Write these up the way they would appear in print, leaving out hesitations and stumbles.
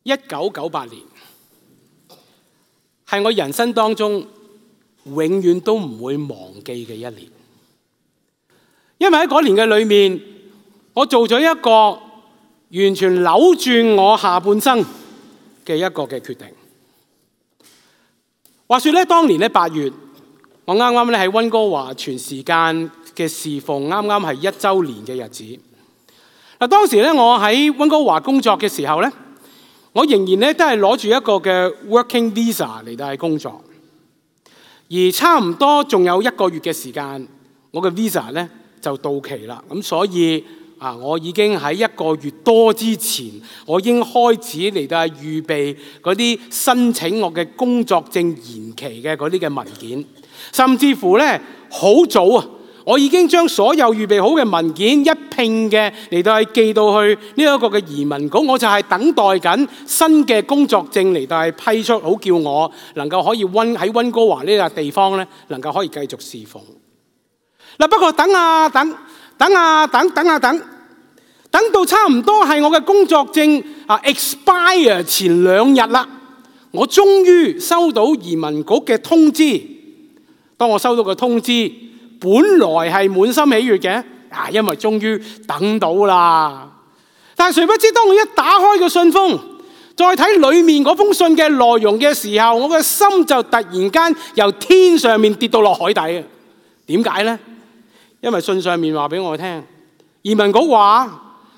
1998年係我人生當中永遠都唔會忘記嘅一年，因為喺嗰年嘅裏面，我做咗一個完全扭轉我下半生嘅一個嘅決定。話說咧，當年咧8月，我啱啱咧喺溫哥華全時間嘅侍奉，啱啱係1週年嘅日子。嗱，當時咧我喺溫哥華工作嘅時候咧，我仍然咧都係攞住一個嘅 working visa 嚟到去工作，而差唔多仲有1個月嘅時間，我嘅 visa 咧就到期啦。咁所以我已經喺1個月多之前，我已經開始嚟到預備嗰啲申請我嘅工作證延期嘅嗰啲嘅文件，甚至乎咧好早啊，我已經將所有預備好嘅文件一併嘅嚟到係寄到去呢一個嘅移民局，我就係等待緊新嘅工作證嚟到係批出，好叫我能夠可以喺溫哥華呢個地方咧能夠可以繼續侍奉。嗱，不過等到差唔多係我嘅工作證expire 前2日啦，我終於收到移民局嘅通知。當我收到個通知，本來係滿心喜悅嘅，因為終於等到啦。但係誰不知，當我一打開個信封，再睇裡面嗰封信嘅內容嘅時候，我嘅心就突然間由天上面跌到落海底啊！點解呢？因為信上面話俾我聽，移民局話，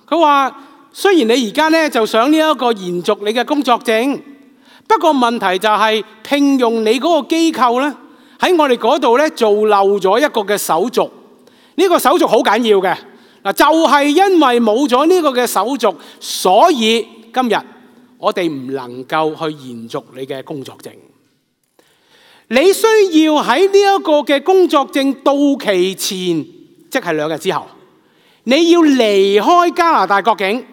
佢話雖然你而家咧就想呢一個延續你嘅工作證，不過問題就係聘用你嗰個機構咧喺我哋嗰度咧做漏咗一個嘅手續。呢個手續好緊要嘅，嗱，就係因為冇咗呢個嘅手續，所以今日我哋唔能夠去延續你嘅工作證。你需要喺呢一個嘅工作證到期前，即係2日之後，你要離開加拿大國境。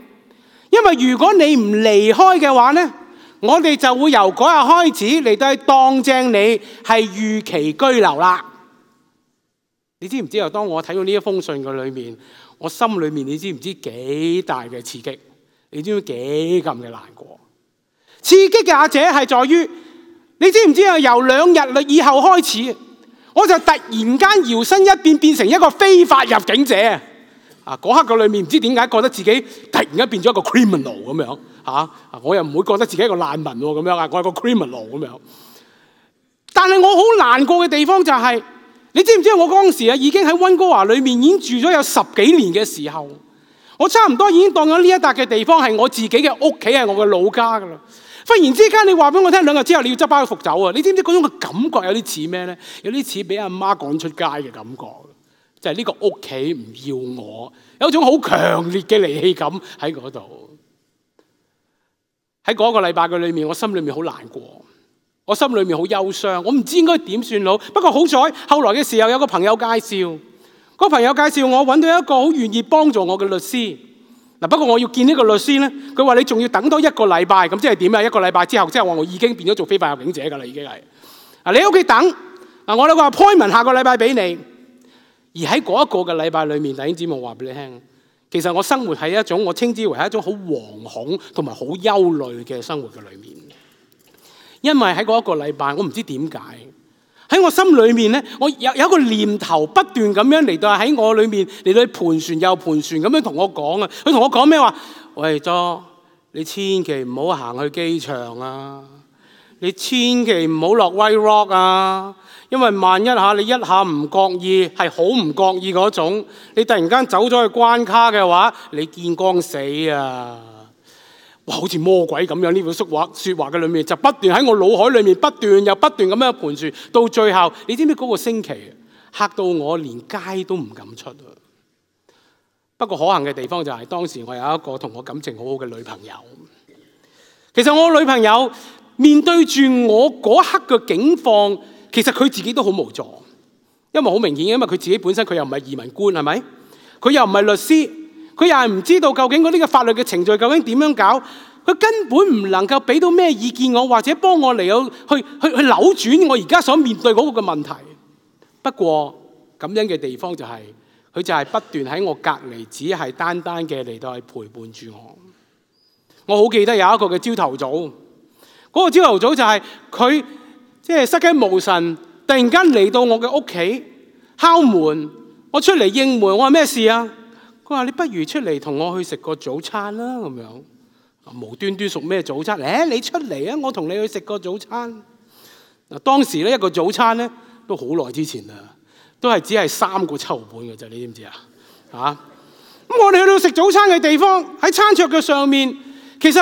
因為如果你唔離開嘅話呢，我哋就會由嗰日開始嚟到當正你係預期居留啦。你知唔知啊？當我睇到呢一封信嘅裏面，我心裏面你知唔知幾大嘅刺激？你知唔知幾咁嘅難過？刺激嘅阿姐係在於，你知唔知啊？由2日以後開始，我就突然間搖身一變成一個非法入境者。嗰刻嘅裏面唔知點解覺得自己突然間變咗一個 criminal 咁樣。我又唔會覺得自己係一個難民咁樣啊，我係個 criminal 咁樣。但係我好難過嘅地方就係，你知唔知我嗰陣時已經喺溫哥華裏面已經住咗有10幾年嘅時候，我差唔多已經當咗呢一笪嘅地方係我自己嘅屋企，係我嘅老家噶啦。忽然之間你話俾我聽2日之後你要執包袱走啊！你知唔知嗰種嘅感覺有啲似咩咧？有啲似俾阿媽趕出街嘅感覺，就係呢個屋企唔要我，有一種好強烈嘅離棄感喺嗰度。喺嗰個禮拜嘅裏面，我心裏面好難過，我心裏面好憂傷，我唔知應該點算好。不過好彩，後來嘅時候有個朋友介紹，個朋友介紹我揾到一個好願意幫助我嘅律師。不過我要見呢個律師咧，佢話你仲要等多1個禮拜，咁即係點啊？1個禮拜之後，即係話我已經變咗做非法入境者㗎啦，已經係。你喺屋企等，我有個 appointment 下個禮拜俾你。而喺嗰一個嘅禮拜裏面，弟兄姊妹話俾你聽，其實我生活喺一種我稱之為係一種好惶恐同埋好憂慮嘅生活嘅裏面。因為喺嗰一個禮拜，我唔知點解喺我心裏面咧，我有一個念頭不斷咁樣嚟到喺我裏面嚟到盤旋又盤旋咁樣同我講啊！佢同我講咩話？喂，John，你千祈唔好行去機場啊！你千祈唔好落 White Rock 啊！因為萬一你一下唔覺意，係好唔覺意嗰種，你突然間走咗去關卡嘅話，你見光死啊！哇，好似魔鬼咁樣，呢句說話嘅裏面就不斷喺我腦海裏面不斷咁樣盤旋，到最後你知唔知嗰個星期嚇到我連街都唔敢出啊！不過可幸嘅地方就係當時我有一個同我感情好好嘅女朋友。其實我女朋友面對住我嗰刻嘅境況，其實佢自己都好無助，因為好明顯，因為佢自己本身佢又唔係移民官，係咪？佢又唔係律師。佢又係唔知道究竟嗰啲嘅法律嘅程序究竟點樣搞，佢根本唔能夠俾到咩意見我，或者幫我嚟到去扭轉我而家所面對嗰個嘅問題。不過咁樣嘅地方就係，佢就係不斷喺我隔離，只係單單嘅嚟到去陪伴住我。我好記得有一個嘅朝頭早，嗰個朝頭早就係佢即係失驚無神，突然間嚟到我嘅屋企敲門，我出嚟應門，我話咩事啊？佢話你不如出嚟同我去食個早餐啦，咁樣無端端食咩早餐？你出嚟啊，我同你去食個早餐。嗱，當時咧一個早餐咧都好耐之前啦，都係只係3個7毫半嘅啫，你知唔知啊？咁我哋去到食早餐嘅地方，喺餐桌嘅上面，其實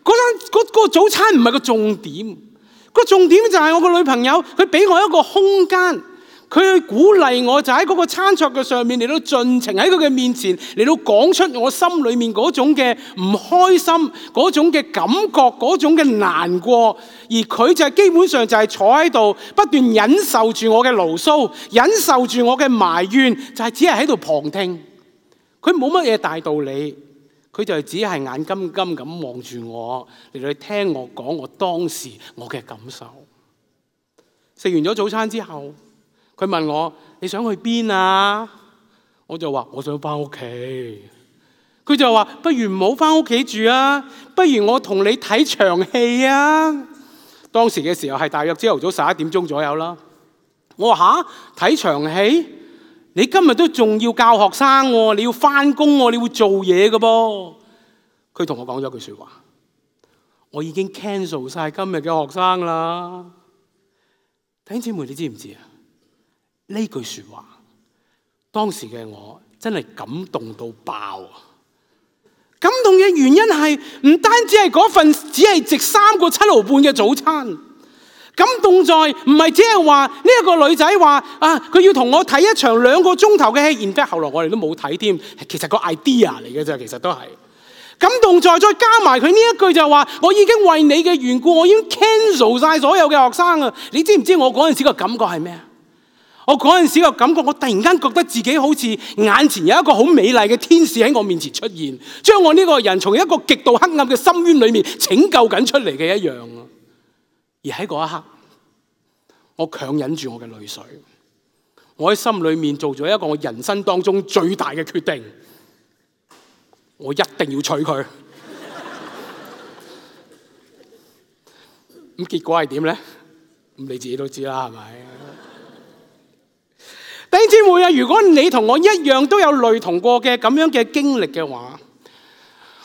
嗰個早餐唔係個重點，個重點就係我個女朋友，佢俾我一個空間，佢去鼓勵我，就喺嗰個餐桌嘅上面嚟到盡情喺佢嘅面前嚟到講出我心裏面嗰種嘅唔開心，嗰種嘅感覺，嗰種嘅難過，而佢就係基本上就係坐喺度不斷忍受住我嘅牢騷，忍受住我嘅埋怨，就係只係喺度旁聽。佢冇乜嘢大道理，佢就只係眼金金咁望住我嚟到聽我講我當時我嘅感受。食完咗早餐之後，佢問我你想去邊啊？我就話我想翻屋企。佢就話不如唔好翻屋企住啊，不如我同你睇場戲啊。當時嘅時候係大約朝頭早11點鐘左右啦。我話吓，睇場戲？你今日都仲要教學生喎，你要翻工喎，你會做嘢嘅噃。佢同我講咗句說話，我已經 cancel 晒今日嘅學生啦。弟兄姊妹，你知唔知啊？呢句說話，當時嘅我真係感動到爆啊！感動嘅原因係唔單止係嗰份只係值3個7毫半嘅早餐。感動在唔係只係話呢一個女仔話啊，佢要同我睇一場2個鐘頭嘅戲，然之後後來我哋都冇睇添，其實個 idea 嚟嘅啫，其實都係感動在再加埋佢呢一句就話，我已經為你嘅緣故，我已經 cancel 晒所有嘅學生啊！你知唔知我嗰陣時個感覺係咩啊？我嗰陣時個感覺，我突然間覺得自己好似眼前有一個好美麗嘅天使喺我面前出現，將我呢個人從一個極度黑暗嘅深淵裏面拯救緊出嚟嘅一樣啊！而喺嗰一刻，我強忍住我嘅淚水，我喺心裏面做咗一個我人生當中最大嘅決定，我一定要娶佢。咁結果係點咧？咁你自己都知啦，係咪？弟兄姊妹啊，如果你同我一樣都有類同過嘅咁樣嘅經歷嘅話，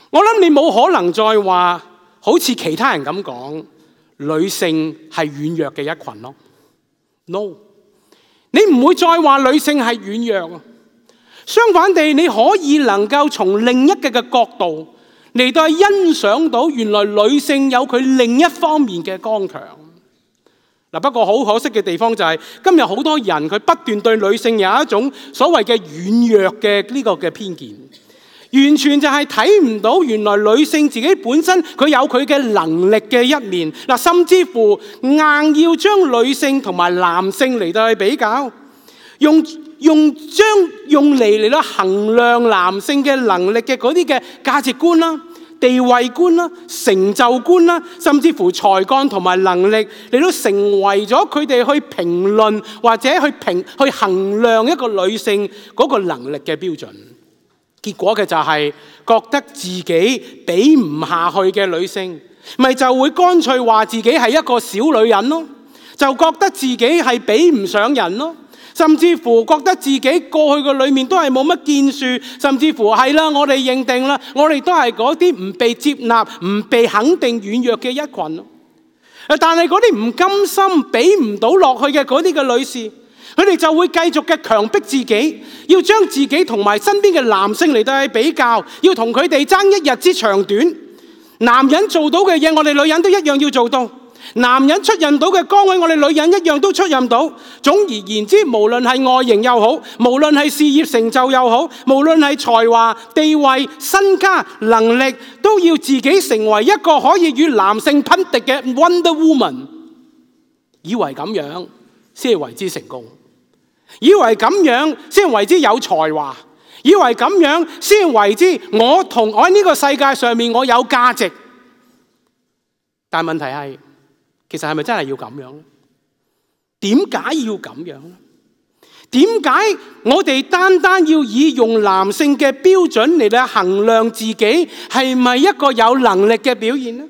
我諗你冇可能再話好似其他人咁講，女性係軟弱嘅一群咯。No， 你唔會再話女性係軟弱啊。相反地，你可以能夠從另一個嘅角度嚟到欣賞到，原來女性有佢另一方面嘅剛強。不過好可惜嘅地方就係，今日好多人佢不斷對女性有一種所謂嘅軟弱嘅呢個嘅偏見，完全就係睇唔到原來女性自己本身佢有佢嘅能力嘅一面。甚至乎硬要將女性同埋男性嚟到去比較，用嚟到衡量男性嘅能力嘅嗰啲嘅價值觀啦、地位觀啦、成就觀啦，甚至乎才幹同埋能力嚟到成為咗佢哋去評論或者去衡量一個女性嗰個能力嘅標準。結果嘅就係覺得自己比唔下去嘅女性，咪就會乾脆話自己係一個小女人咯，就覺得自己係比唔上人咯。甚至乎覺得自己過去嘅裏面都係冇乜建樹，甚至乎係啦，我哋認定啦，我哋都係嗰啲唔被接納、唔被肯定、軟弱嘅一群咯。但係嗰啲唔甘心、俾唔到落去嘅嗰啲嘅女士，佢哋就會繼續嘅強迫自己，要將自己同埋身邊嘅男性嚟到去比較，要同佢哋爭一日之長短。男人做到嘅嘢，我哋女人都一樣要做到。男人出任到嘅崗位，我哋女人一樣都出任到。總而言之，無論係外形又好，無論係事業成就又好，無論係才華、地位、身家、能力，都要自己成為一個可以與男性匹敵嘅 Wonder Woman。以為咁樣先係為之成功，以為咁樣先係為之有才華，以為咁樣先係為之我喺呢個世界上面我有價值。但問題係，其實係咪真係要咁樣咧？點解要咁樣咧？點解我哋單單要以用男性嘅標準嚟到衡量自己係咪一個有能力嘅表現呢？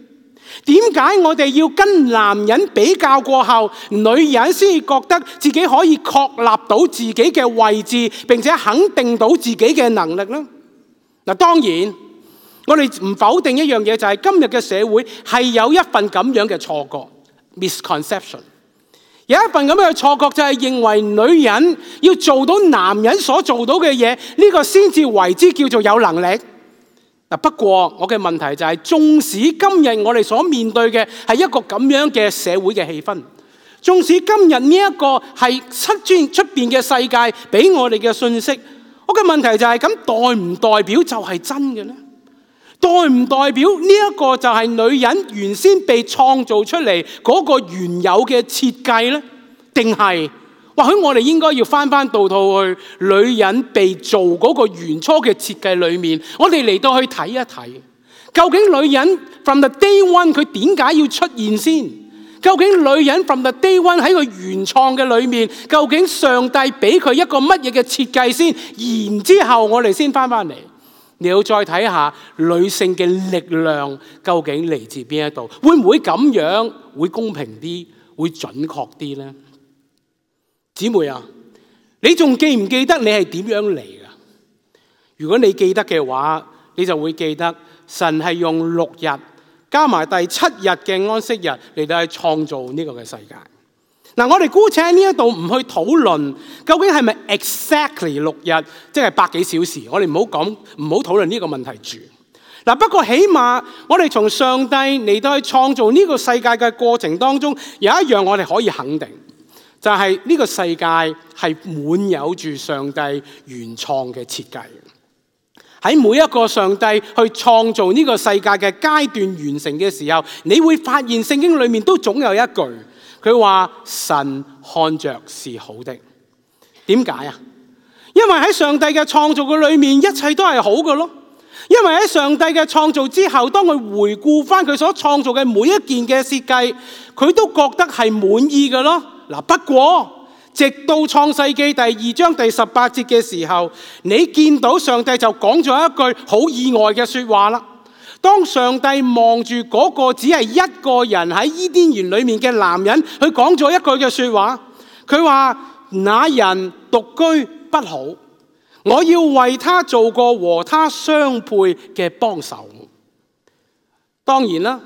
點解我哋要跟男人比較過後，女人先覺得自己可以確立到自己嘅位置，並且肯定到自己嘅能力呢？嗱，當然我哋唔否定一樣嘢，就係今日嘅社會係有一份咁樣嘅錯覺 misconception。有一份咁樣嘅錯覺，就係認為女人要做到男人所做到嘅嘢，呢個先至為之叫做有能力。不過我嘅問題就係，縱使今日我哋所面對嘅係一個咁樣嘅社會嘅氣氛，縱使今日呢一個係出邊嘅世界俾我哋嘅信息，我嘅問題就係，咁代唔代表就係真嘅呢？代唔代表呢一個就係女人原先被創造出嚟嗰個原有嘅設計呢？定係或許我哋應該要翻到去女人被做嗰個原初嘅設計裏面，我哋嚟到去睇一睇，究竟女人 from the day one 佢點解要出現先？究竟女人 from the day one 喺佢原創嘅裏面，究竟上帝俾佢一個乜嘢嘅設計先？然之後我哋先翻嚟。你要再睇下女性嘅力量究竟嚟自邊一度？會唔會咁樣會公平啲，會準確啲呢？姊妹啊，你仲記唔記得你係點樣嚟㗎？如果你記得嘅話，你就會記得神係用6日加埋第7日嘅安息日嚟到去創造呢個嘅世界。嗱，我哋姑且喺呢一度唔去討論究竟係咪 exactly 6日，即係100幾小時。我哋唔好討論呢個問題住。嗱，不過起碼我哋從上帝嚟到去創造呢個世界嘅過程當中，有一樣我哋可以肯定，就係呢個世界係滿有住上帝原創嘅設計。喺每一個上帝去創造呢個世界嘅階段完成嘅時候，你會發現聖經裏面都總有一句。佢話神看着是好的。點解啊？因為喺上帝嘅創造嘅裏面，一切都係好嘅咯。因為喺上帝嘅創造之後，當佢回顧翻佢所創造嘅每一件嘅設計，佢都覺得係滿意嘅咯。嗱，不過直到創世記第2章第18節嘅時候，你見到上帝就講咗一句好意外嘅說話啦。當上帝望住嗰個只係一個人喺伊甸園裏面嘅男人，佢講咗一句嘅說話，佢話：那人獨居不好，我要為他做個和他相配嘅幫手。當然啦，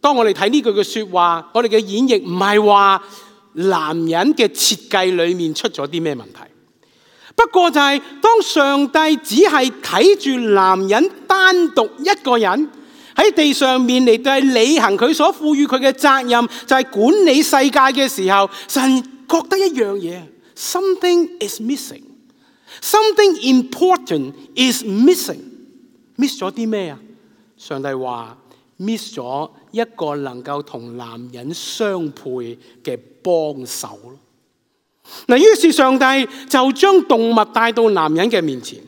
當我哋睇呢句嘅說話，我哋嘅演繹唔係話男人嘅設計裏面出咗啲咩問題。不過就係當上帝只係睇住男人單獨一個人喺地上面嚟到履行佢所賦予佢嘅責任，就係管理世界嘅時候，神覺得一樣嘢 ，something is missing， something important is missing。miss 咗啲咩啊？上帝話 miss 咗一個能夠同男人相配嘅幫手咯。嗱，於是上帝就將動物帶到男人嘅面前。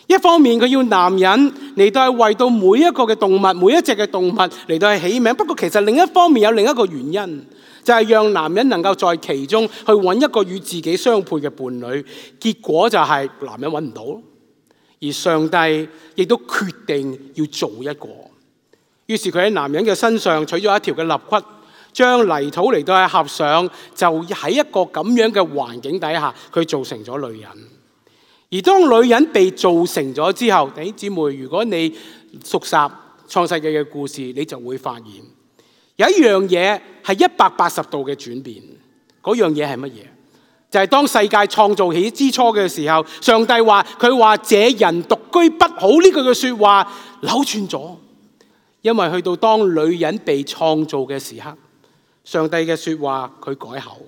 一方面佢要男人嚟到係為到每一個嘅動物，每一隻嘅動物嚟到係起名。不過其實另一方面有另一個原因，就係讓男人能夠在其中去揾一個與自己相配嘅伴侶。結果就係男人揾唔到，而上帝亦都決定要做一個。於是佢喺男人嘅身上取咗一條嘅肋骨，將泥土嚟到係合上，就喺一個咁樣嘅環境底下，佢造成咗女人。而當女人被造成咗之後，弟兄姊妹，如果你熟習創世記嘅故事，你就會發現有一樣嘢係180度嘅轉變。嗰樣嘢係乜嘢？就係當世界創造起之初嘅時候，上帝話佢話這人獨居不好呢句嘅說話扭轉咗，因為去到當女人被創造嘅時刻，上帝嘅說話佢改口，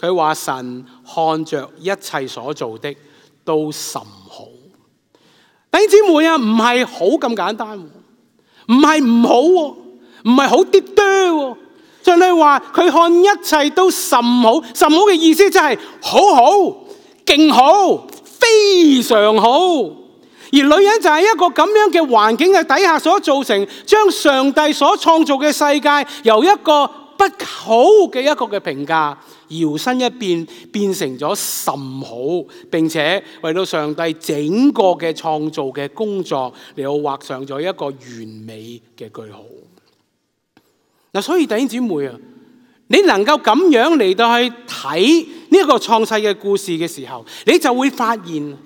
佢話神看着一切所做的都甚好。弟兄姊妹啊，唔係好咁簡單，唔係唔好，唔係好啲多。上帝話佢看一切都甚好，甚好嘅意思即係好好、勁好、非常好。而女人就係一個咁樣嘅環境嘅底下所造成，將上帝所創造嘅世界由一個不好嘅一個嘅評價，搖身一變，變成咗甚好，並且為到上帝整個嘅創造嘅工作嚟到畫上咗一個完美嘅句號。嗱，所以弟兄姊妹啊，你能夠咁樣嚟到去睇呢一個創世嘅故事嘅時候，你就會發現，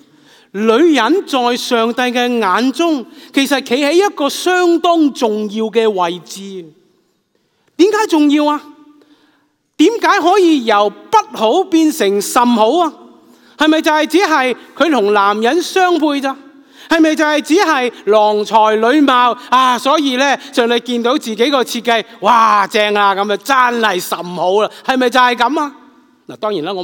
女人在上帝嘅眼中，其實企喺一個相當重要嘅位置。點解重要啊？點解可以由不好變成甚好啊？係咪就係只係佢同男人相配咋？係咪就係只係郎才女貌啊？所以咧，上帝見到自己個設計，哇正啊，咁啊真係甚好啦。係咪就係咁啊？嗱，當然啦，我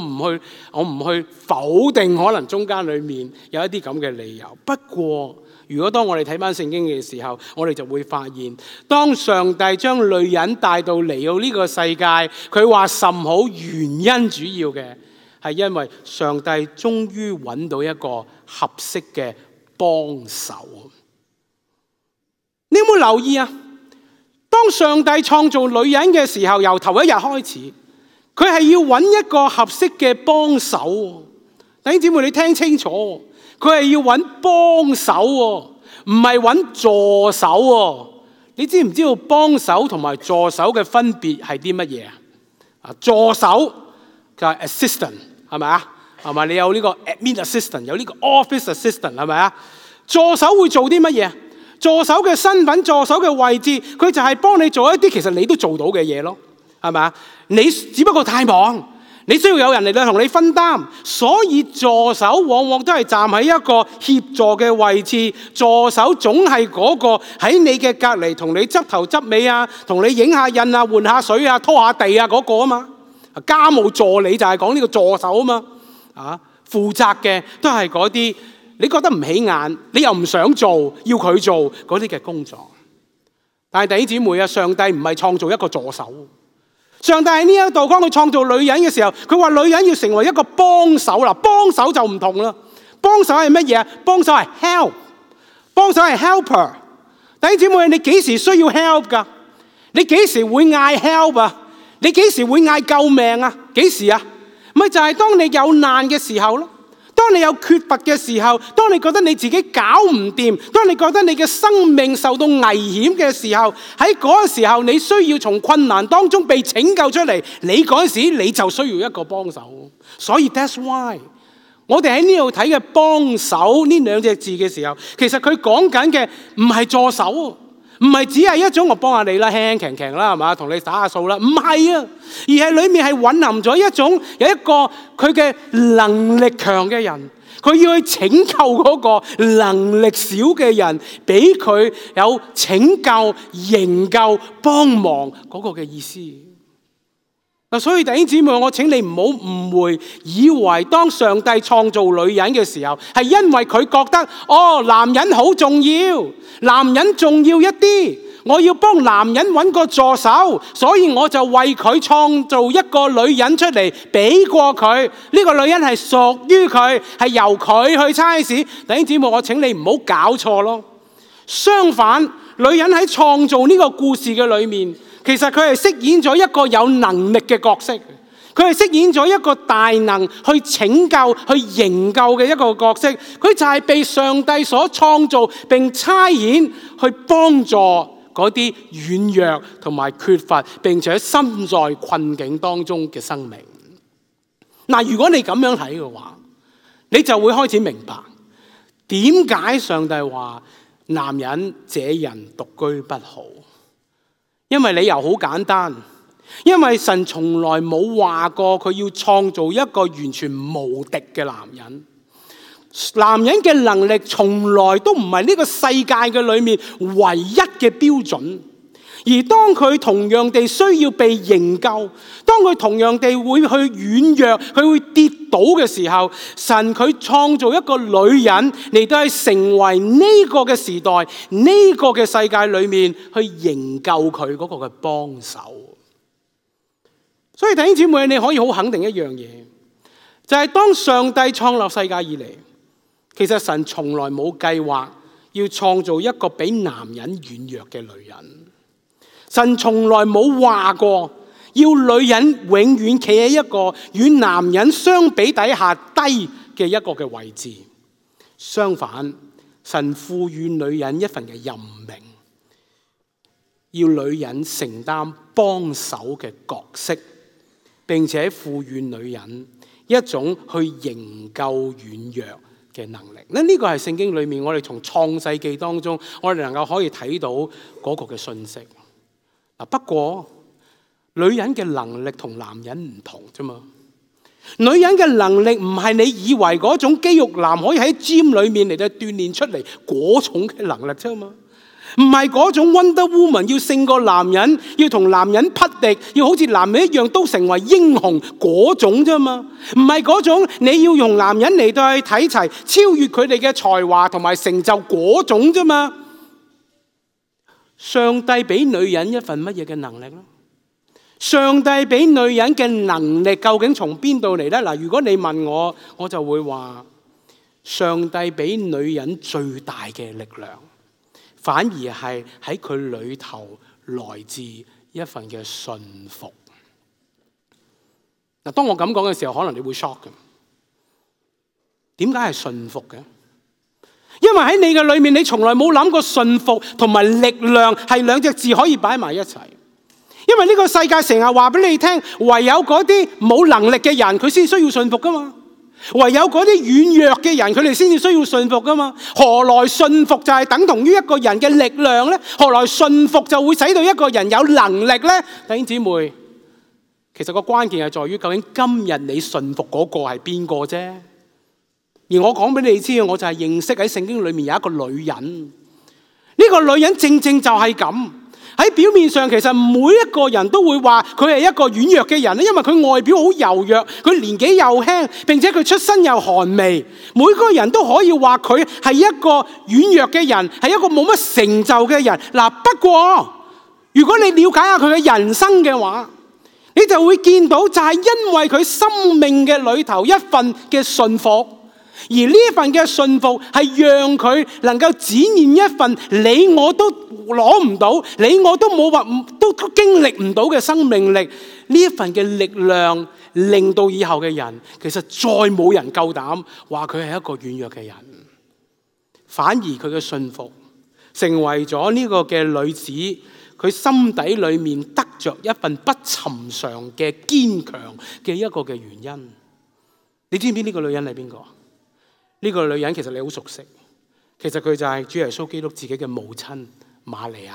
唔去否定可能中間裏面有一啲咁嘅理由。不過，如果當我哋睇翻聖經嘅時候，我哋就會發現，當上帝將女人帶到嚟到呢個世界，佢話甚好，原因主要嘅係因為上帝終於揾到一個合適嘅幫手。你有冇留意啊？當上帝創造女人嘅時候，由頭一日開始，佢係要揾一個合適嘅幫手。弟兄姊妹，你聽清楚，佢係要揾幫手，唔係揾助手。你知唔知道幫手同埋助手嘅分別係啲乜嘢啊？助手就係 assistant， 係咪啊？係咪？你有呢個 admin assistant， 有呢個 office assistant， 係咪啊？助手會做啲乜嘢？助手嘅身份、助手嘅位置，佢就係幫你做一啲其實你都做到嘅嘢咯，係咪啊？你只不過太忙，你需要有人嚟同你分擔，所以助手往往都係站喺一個協助嘅位置。助手總係嗰個喺你嘅隔離同你執頭執尾啊，同你影下印啊、換下水啊、拖下地啊嗰個啊嘛。家務助理就係講呢個助手啊嘛。負責嘅都係嗰啲你覺得唔起眼，你又唔想做，要佢做嗰啲嘅工作。但係弟兄姊妹啊，上帝唔係創造一個助手。上帝喺呢一度，當佢創造女人嘅時候，佢話女人要成為一個幫手啦。幫手就唔同啦，幫手係乜嘢啊？幫手係 help， 幫手係 helper。弟兄姊妹，你幾時需要 help 噶？你幾時會嗌 help 啊？你幾時會嗌救命啊？幾時啊？咪就係當你有難嘅時候咯。當你有缺乏嘅時候，當你覺得你自己搞唔掂，當你覺得你嘅生命受到危險嘅時候，喺嗰個時候你需要從困難當中被拯救出嚟，你嗰時你就需要一個幫手。所以 that's why 我哋喺呢度睇嘅幫手呢兩隻字嘅時候，其實佢講緊嘅唔係助手，唔係只係一種我幫下你啦，輕輕強啦，係嘛，同你打下數啦，唔係啊，而係裏面係蘊含咗一種有一個佢嘅能力強嘅人，佢要去拯救嗰個能力少嘅人，俾佢有拯救、營救、幫忙嗰個嘅意思。所以弟兄姊妹，我請你唔好誤會，以為當上帝創造女人嘅時候，係因為佢覺得男人好重要，男人重要一啲，我要幫男人揾個助手，所以我就為佢創造一個女人出嚟，俾過佢。呢個女人係屬於佢，係由佢去差使。弟兄姊妹，我請你唔好搞錯咯。相反，女人喺創造呢個故事嘅裏面，其實佢係飾演咗一個有能力嘅角色，佢係飾演咗一個大能去拯救、去營救嘅一個角色。佢就係被上帝所創造並差遣去幫助嗰啲軟弱同埋缺乏並且身在困境當中嘅生命。嗱，如果你咁樣睇嘅話，你就會開始明白點解上帝話男人這人獨居不好。因為理由好簡單，因為神從來冇話過佢要創造一個完全無敵嘅男人。男人嘅能力從來都唔係呢個世界嘅裏面唯一嘅標準。而當佢同樣地需要被營救，當佢同樣地會去軟弱，佢會跌倒嘅時候，神佢創造一個女人嚟到去成為呢個嘅時代、呢個嘅世界裏面去營救佢嗰個嘅幫手。所以弟兄姊妹，你可以好肯定一樣嘢，就係當上帝創立世界以嚟，其實神從來冇計劃要創造一個比男人軟弱嘅女人。神從來冇話過要女人永遠企喺一個與男人相比底下低嘅一個嘅位置。相反，神賦予女人一份嘅任命，要女人承擔幫手嘅角色，並且賦予女人一種去營救軟弱嘅能力。呢個係聖經裏面我哋從創世記當中，我哋能夠可以睇到嗰個嘅信息。不過女人嘅能力同男人唔同啫嘛。女人嘅能力唔係你以為嗰種肌肉男可以喺 gym 裏面嚟到鍛煉出嚟嗰種嘅能力啫嘛。唔係嗰種 Wonder Woman 要勝過男人，要同男人匹敵，要好似男人一樣都成為英雄嗰種啫嘛。唔係嗰種你要用男人嚟到去睇齊，超越佢哋嘅才華同埋成就嗰種啫嘛。上帝俾女人一份乜嘢嘅能力呢？上帝俾女人嘅能力究竟從邊度嚟呢？嗱，如果你問我，我就會話上帝俾女人最大嘅力量，反而係喺佢裏頭來自一份嘅信服。嗱，當我咁講嘅時候，可能你會 shock 嘅。點解係信服嘅？因為喺你嘅裏面，你從來冇諗過信服同埋力量係兩隻字可以擺埋一齊。因為呢個世界成日話俾你聽，唯有嗰啲冇能力嘅人，佢先需要信服噶嘛。唯有嗰啲軟弱嘅人，佢哋先至需要信服噶嘛。何來信服就係等同於一個人嘅力量呢？何來信服就會使到一個人有能力呢？弟兄姊妹，其實個關鍵係在於究竟今日你信服嗰個係邊個啫？而我講俾你知，我就係認識喺聖經裏面有一個女人。呢個女人正正就係咁。喺表面上，其實每一個人都會話佢係一個軟弱嘅人，因為佢外表好柔弱，佢年紀又輕，並且佢出身又寒微。每個人都可以話佢係一個軟弱嘅人，係一個冇乜成就嘅人。嗱，不過如果你了解下佢嘅人生嘅話，你就會見到就係因為佢生命嘅裏頭一份嘅信服。而呢份嘅信服係讓佢能夠展現一份你我都攞唔到，你我都冇話都經歷唔到嘅生命力。呢一份嘅力量令到以後嘅人其實再冇人夠膽話佢係一個軟弱嘅人，反而佢嘅信服成為咗呢個嘅女子佢心底裏面得着一份不尋常嘅堅強嘅一個嘅原因。你知唔知呢個女人係邊個？呢個女人其實你好熟悉，其實佢就係主耶穌基督自己嘅母親瑪利亞。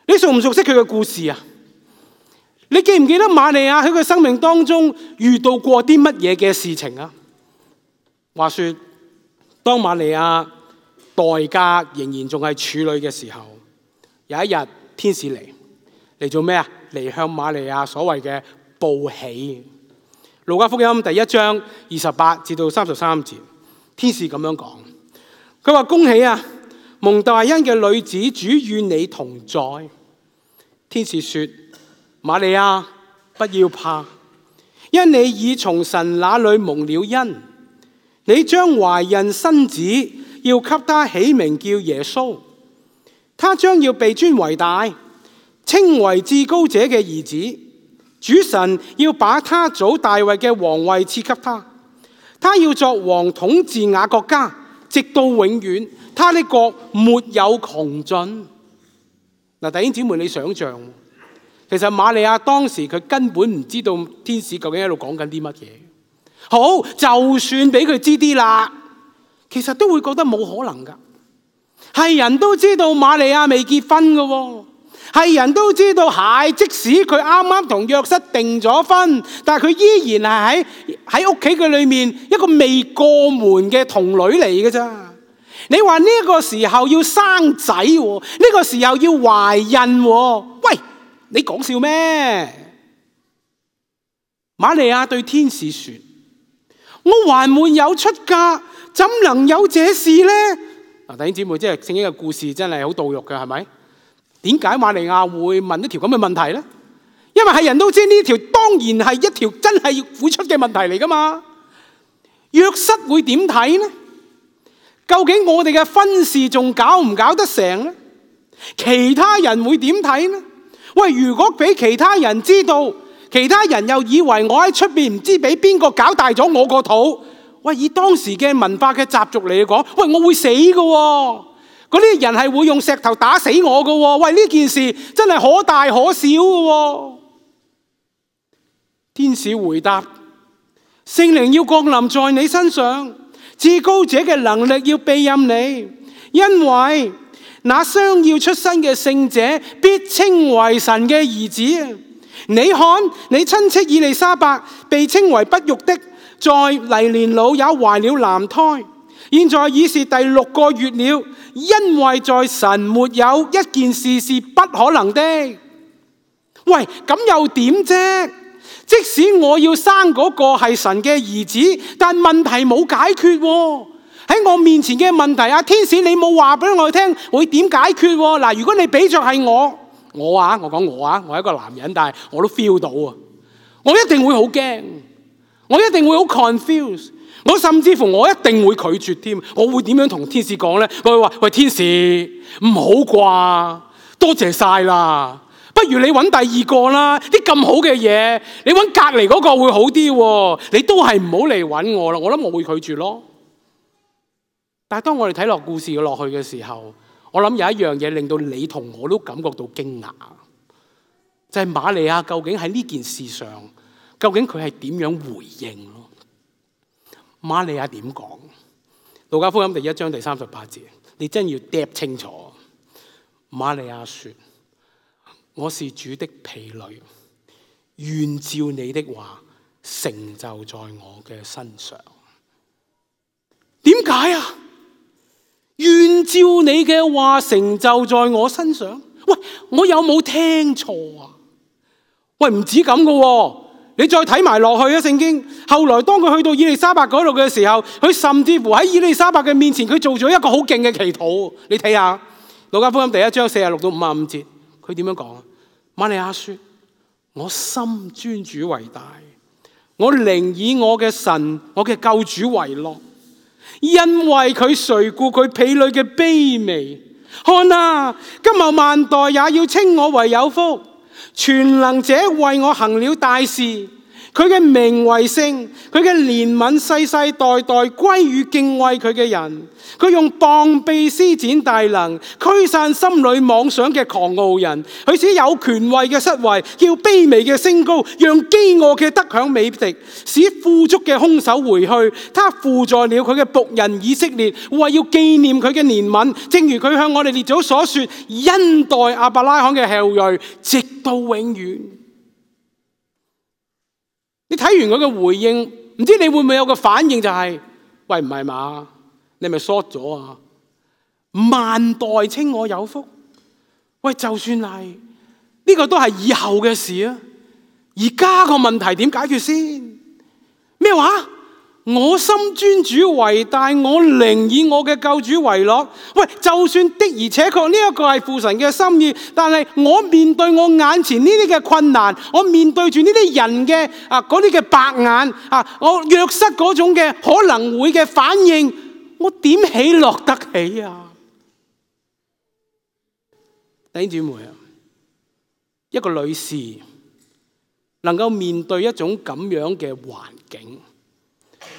你熟唔熟悉佢嘅故事啊？你記唔記得瑪利亞喺佢生命當中遇到過啲乜嘢嘅事情啊？話說當瑪利亞待嫁仍然仲係處女嘅時候，有一日天使嚟做咩啊？嚟向瑪利亞所謂嘅報喜。路加福音第1章28至到33節，天使咁樣講，佢話：恭喜啊，蒙大恩嘅女子，主與你同在。天使說：瑪利亞，不要怕，因你已從神那裏蒙了恩，你將懷孕生子，要給他起名叫耶穌。他將要被尊為大，稱為至高者嘅兒子。主神要把他祖大衛嘅皇位賜給他，他要作王統治雅各家，直到永遠。他的國沒有窮盡。嗱，弟兄姊妹，你想象，其實瑪利亞當時佢根本唔知道天使究竟喺度講緊啲乜嘢。好，就算俾佢知啲啦，其實都會覺得冇可能噶。係人都知道瑪利亞未結婚噶喎。係人都知道，即使佢啱啱同約瑟訂咗婚，但係佢依然係喺屋企嘅裏面一個未過門嘅童女嚟嘅咋。你話呢個時候要生仔，呢個時候要懷孕，喂，你講笑咩？瑪利亞對天使說：我還沒有出嫁，怎能有這事呢？嗱，弟兄姊妹，即係聖經嘅故事真係好到肉嘅，係咪？點解瑪利亞會問一條咁嘅問題呢？因為係人都知呢條當然係一條真係要付出嘅問題嚟噶嘛。約瑟會點睇呢？究竟我哋嘅婚事仲搞唔搞得成呢？其他人會點睇呢？喂，如果俾其他人知道，其他人又以為我喺出邊唔知俾邊個搞大咗我個肚，喂，以當時嘅文化嘅習俗嚟講，喂，我會死㗎喎，嗰啲人係會用石頭打死我㗎喎，喂，呢件事真係可大可小㗎喎。天使回答：聖靈要降臨在你身上，至高者嘅能力要庇蔭你，因為那將要出生嘅聖者必稱為神嘅兒子。你看，你親戚以利沙伯被稱為不育的，在黎年老也懷了男胎，現在已是第6個月了，因為在神沒有一件事是不可能的。喂，咁又點啫？即使我要生嗰個係神嘅兒子，但問題冇解決喎。喺我面前嘅問題，天使你冇話俾我聽會點解決喎？嗱，如果你俾着係我講我係一個男人，但係我都 feel 到啊，我一定會好驚，我一定會好 confused， 我甚至乎我一定會拒絕添。我會點樣同天使講呢？我會話：喂，天使唔好啩，多謝晒啦。不如你揾第二個啦，啲咁好嘅嘢，你揾隔離嗰個會好啲喎。你都係唔好嚟揾我啦，我諗我會拒絕咯。但係當我哋睇落故事落去嘅時候，我諗有一樣嘢令到你同我都感覺到驚訝，就係瑪利亞究竟喺呢件事上，究竟佢係點樣回應咯？瑪利亞點講？路加福音第1章第38節，你真要嗒清楚。瑪利亞說：我是主的婢女，願照你的話成就在我嘅身上。點解啊？願照你嘅話成就在我身上。喂，我有冇聽錯啊？喂，唔止咁噶，你再睇埋落去啊！聖經後來當佢去到以利沙伯嗰度嘅時候，佢甚至乎喺以利沙伯嘅面前，佢做咗一個好勁嘅祈禱。你睇下路加福音第1章46到55節，佢點樣講啊？瑪利亞說：我心尊主為大，我靈以我嘅神，我嘅救主為樂，因為佢垂顧佢婢女嘅卑微。看啊，今後萬代也要稱我為有福。全能者為我行了大事，佢嘅名為聖，佢嘅憐憫世世代代歸於敬畏佢嘅人。佢用膀臂施展大能，驅散心裏妄想嘅狂傲人。佢使有權位嘅失位，叫卑微嘅升高，讓飢餓嘅得享美食，使富足嘅空手回去。他扶助了佢嘅僕人以色列，為要紀念佢嘅憐憫，正如佢向我哋列祖所說，恩待亞伯拉罕嘅後裔，直到永遠。你睇完佢嘅回應，唔知你會唔會有個反應，就係：喂，唔係嘛？你咪 short 咗啊！萬代稱我有福。喂，就算係呢個都係以後嘅事啊！而家個問題點解決先？咩話？我心尊主為大，我靈以我嘅救主為樂。喂，就算的而且確呢一個係父神嘅心意，但係我面對我眼前呢啲嘅困難，我面對住呢啲人嘅嗰啲嘅白眼我約瑟嗰種嘅可能會嘅反應，我點喜樂得起啊？弟兄姊妹啊，一個女士能夠面對一種咁樣嘅環境，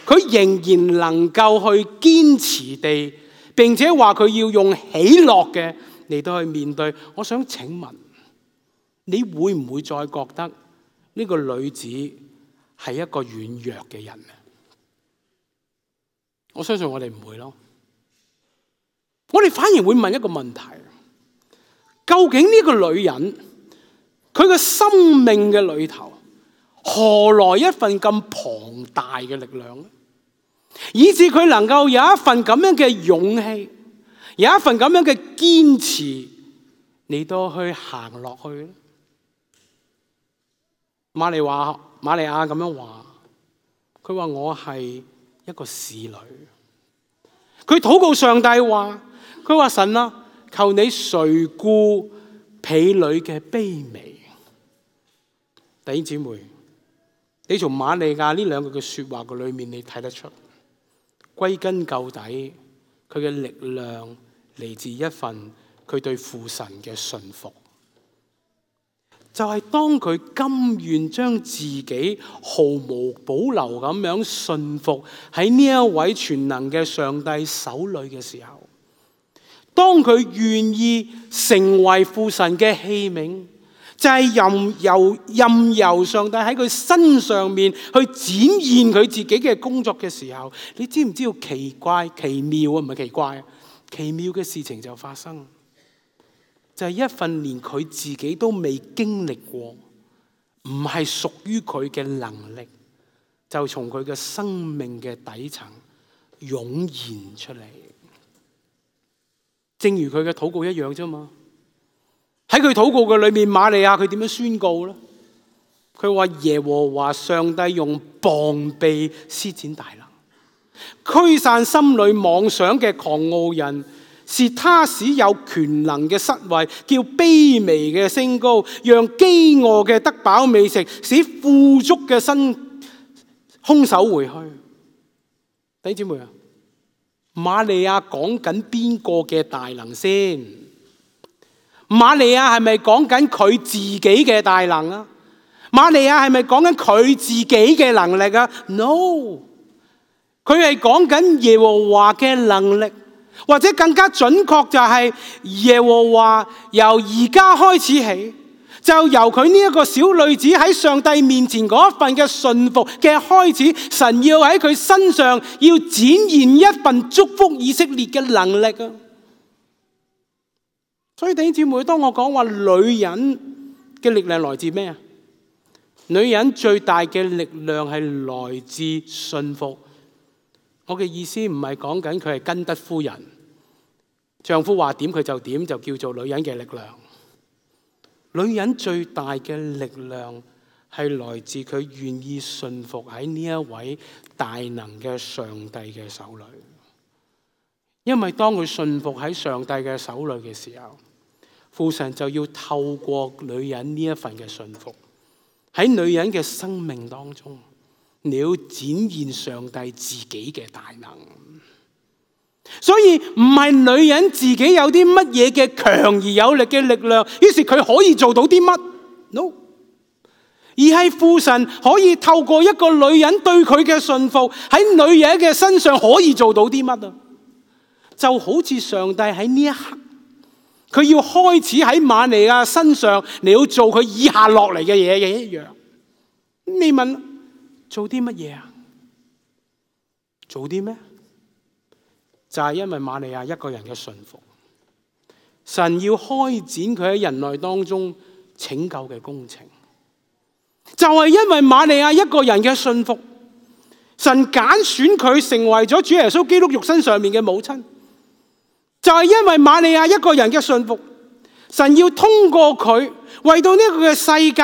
佢仍然能夠去堅持地，並且話佢要用喜樂嘅嚟到去面對。我想請問，你會唔會再覺得呢個女子係一個軟弱嘅人呢？我相信我哋唔會咯。我哋反而會問一個問題：究竟呢個女人佢嘅生命嘅裏頭，何來一份咁龐大嘅力量呢？以致佢能夠有一份咁樣嘅勇氣，有一份咁樣嘅堅持嚟到去行落去呢？瑪利亞咁樣話，佢話我係一個使女。佢禱告上帝話，佢話神啊，求你垂顧婢女嘅卑微。弟兄姊妹，你從瑪利亞呢兩句嘅說話嘅裏面，你睇得出，歸根究底，佢嘅力量嚟自一份佢對父神嘅信服。就係當佢甘願將自己毫無保留咁樣信服喺呢一位全能嘅上帝手裏嘅時候，當佢願意成為父神嘅器皿，就係任由上帝喺佢身上面去展現佢自己嘅工作嘅時候，你知唔知道奇妙啊？唔係奇怪啊，奇妙嘅事情就發生。就係一份連佢自己都未經歷過，唔係屬於佢嘅能力，就從佢嘅生命嘅底層湧現出嚟。正如佢嘅禱告一樣啫嘛。喺佢禱告嘅裏面，瑪利亞佢點樣宣告呢？佢話耶和華上帝用膀臂施展大能，驅散心裏妄想嘅狂傲人。是他使有權能嘅失位，叫卑微嘅升高，讓飢餓嘅得飽美食，使富足嘅空手回去。弟兄姊妹啊，瑪利亞講緊邊個嘅大能先？瑪利亞係咪講緊佢自己嘅大能啊？瑪利亞係咪講緊佢自己嘅能力啊 ？No， 佢係講緊耶和華嘅能力。或者更加準確就係耶和華由而家開始起，就由佢呢一個小女子喺上帝面前嗰一份嘅順服嘅開始，神要喺佢身上要展現一份祝福以色列嘅能力啊！所以弟兄姊妹，當我講話女人嘅力量來自咩啊？女人最大嘅力量係來自順服。我嘅意思唔係講緊佢係根德夫人，丈夫話點佢就點，就叫做女人嘅力量。女人最大嘅力量係來自佢願意順服喺呢一位大能嘅上帝嘅手裏。因為當佢順服喺上帝嘅手裏嘅時候，父神就要透過女人呢一份嘅順服，喺女人嘅生命當中，你要展現上帝自己嘅大能。所以唔係女人自己有啲乜嘢嘅強而有力嘅力量，於是佢可以做到啲乜 ？No， 而係父神可以透過一個女人對佢嘅順服，喺女人嘅身上可以做到啲乜啊？就好似上帝喺呢一刻，佢要開始喺瑪利亞身上，你要做佢以下落嚟嘅嘢嘅一樣。你問做啲乜嘢啊？做啲咩？就係因為瑪利亞一個人嘅順服，神要開展佢喺人類當中拯救嘅工程。就係因為瑪利亞一個人嘅順服，神揀選佢成為咗主耶穌基督肉身上面嘅母親。就係因為瑪利亞一個人嘅順服，神要通過佢為到呢個嘅世界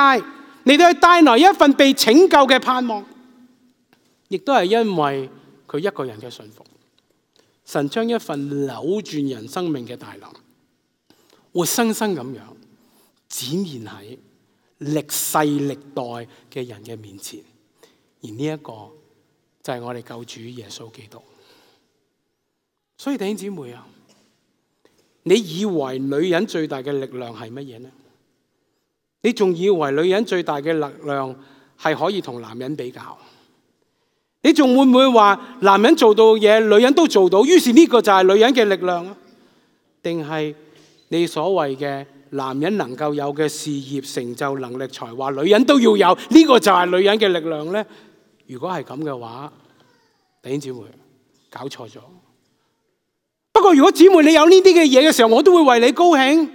嚟到去帶來一份被拯救嘅盼望。亦都係因為佢一個人嘅順服，神將一份扭轉人生命嘅大能，活生生咁樣展現喺歷世歷代嘅人嘅面前。而呢一個就係我哋救主耶穌基督。所以弟兄姊妹啊，你以為女人最大嘅力量係乜嘢呢？你仲以為女人最大嘅力量係可以同男人比較？你仲會唔會話男人做到嘢，女人都做到，於是呢個就係女人嘅力量啊？定係你所謂嘅男人能夠有嘅事業成就、能力、才華，女人都要有，呢個就係女人嘅力量呢？如果係咁嘅話，弟兄姊妹搞錯咗。不過如果姊妹你有呢啲嘅嘢嘅時候，我都會為你高興。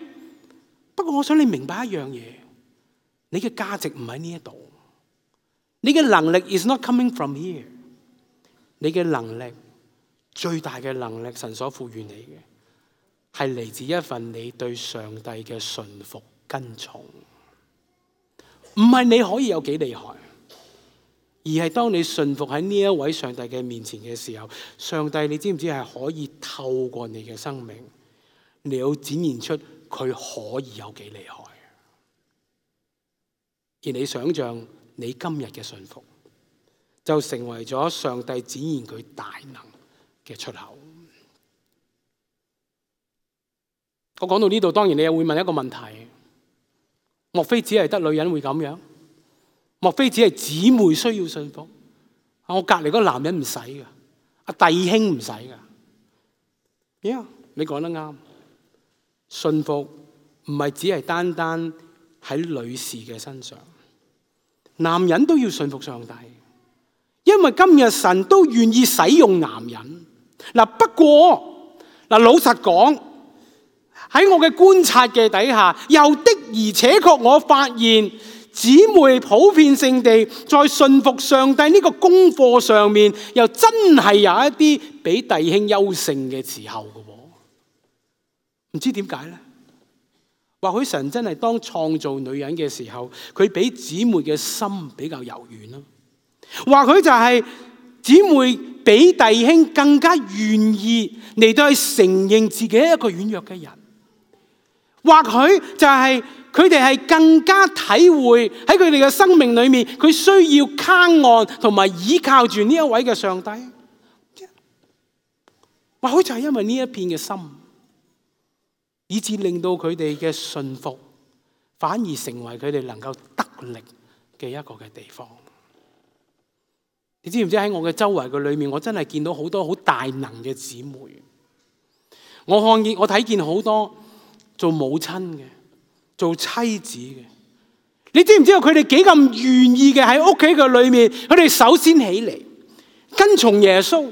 不過我想你明白一樣嘢，你嘅價值唔喺呢一度，你嘅能力 is not coming from here。你嘅能力，最大嘅能力，神所賦予你嘅，係嚟自一份你對上帝嘅順服跟從。唔係你可以有幾厲害，而係當你順服喺呢一位上帝嘅面前嘅時候，上帝你知唔知係可以透過你嘅生命，你要展現出佢可以有幾厲害。而你想象你今日嘅順服，就成為咗上帝展現佢大能嘅出口。我講到呢度，當然你又會問一個問題：莫非只係得女人會咁樣？莫非只係姊妹需要順服？我隔離嗰個男人唔使噶，弟兄唔使噶。你講得啱，順服唔係只係單單喺女士嘅身上，男人都要順服上帝，因為今日神都願意使用男人。不過老實講，喺我嘅觀察嘅底下，又的而且確我發現姊妹普遍性地在順服上帝呢個功課上面，又真係有一啲比弟兄優勝嘅時候嘅。唔知點解呢？或許神真係當創造女人嘅時候，佢比姊妹嘅心比較柔軟咯。或許就係姊妹比弟兄更加願意嚟到去承認自己一個軟弱嘅人。或許就係佢哋係更加體會喺佢哋嘅生命裏面，佢需要靠岸同埋依靠住呢一位嘅上帝。或許就係因為呢一片嘅心，以致令到佢哋嘅順服反而成為佢哋能夠得力嘅一個嘅地方。你知唔知喺我嘅周圍嘅裏面，我真係見到好多好大能嘅姊妹。我睇見好多做母親嘅，做妻子嘅。你知唔知道佢哋幾咁願意嘅喺屋企嘅裏面？佢哋首先起嚟跟從耶穌。